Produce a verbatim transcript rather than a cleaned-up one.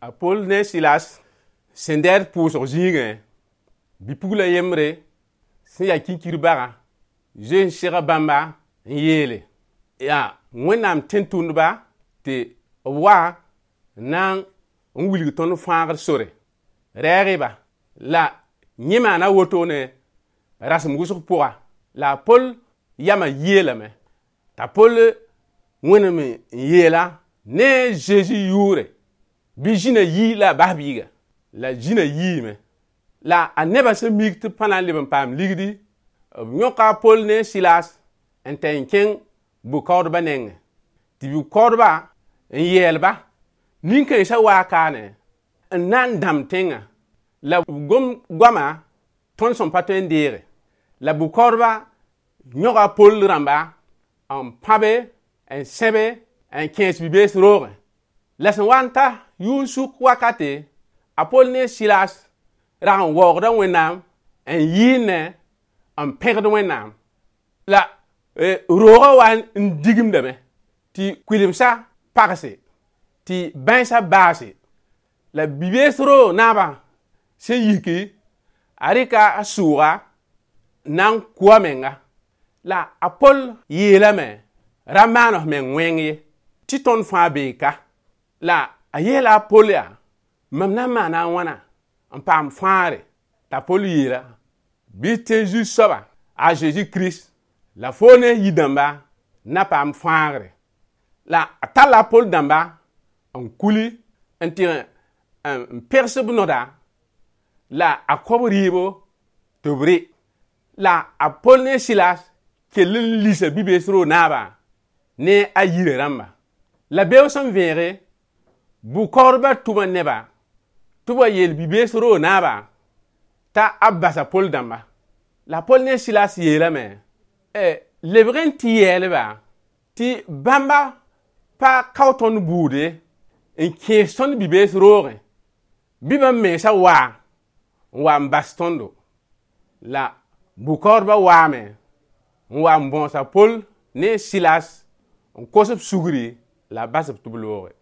A Pol ne Silas sẽn dɛɛd pʋʋsg zĩigẽ, bi-pugla yembre sẽn yaa kinkir bagã zoe n sega bãmba n yeele yaa Wẽnnaam tẽn-tʋmdba tɩ b wa n na n wilg tõnd fãagr sore reeg-y-ba. La yẽ maana wotone rasem wʋsg pʋga la a Pol yamã yeelame t'a Pol wẽnem n yeela ne Zeezi yʋʋre bɩ zĩna yi la a bas biiga. La zĩna yiime. La a nebã sẽn mik tɩ b pa na n leb n paam ligdi, b yõka a Pol ne Silas n tɛ n kẽng bʋ-kaoodbã nengẽ. Tɩ bʋ-kaoodbã n yɛɛl-ba nin-kãensã waa kaane n na n dãmb tẽngã la b gom goama tõnd sẽn pa tõe n deege. La bʋ-kaoodbã yõga a Pol rãmba n pãbe n sẽbe n kẽes bi-bees roogẽ. La sẽn wa n ta yʋʋn-sʋk wakate, a Pol ne Silas rag n waoogda Wẽnnaam n yɩɩnẽ n pẽgd Wẽnnaam. La roogã wa n digimdame tɩ kʋɩlemsã pagse, tɩ bãensã baase. La bi-bees roog naabã sẽn yiki, a rɩka a sʋʋga n na n kʋ a menga. La a Pol yeelame ra maan f meng wẽng ye, tɩ tõnd fãa bee ka. La a yeela a Pol yaa, mam na n maana a wãna n paam fãagre? T'a Pol yeela, bɩ tẽ Zu-soaba a Zeezi Kirist la foo ne yir-dãmba na paam fãagre. La a talla a Pol dãmba n kuli n tɩ n pegs b noda la a kõb rɩɩbo tɩ b rɩ. La a Pol ne Silas kell n lisa bi-bees roog naabã ne a yirã rãmba. La beoog sẽn vẽege, bʋ-kaoodbã tʋma neba tɩ b wa yeel bi-bees roog naabã t'a a basa Pol dãmba. La Pol ne Silas yeelame, lebg n tɩ yɛɛlba tɩ bãmba pa kao tõnd buude n kẽes tõnd bi-bees roogẽ bɩ bãmb mensã waa n wa n bas tõndo. La bʋ-kaoodbã waame n wa n bõos a Pol ne Silas n kos b sugri la b bas b tɩ b looge.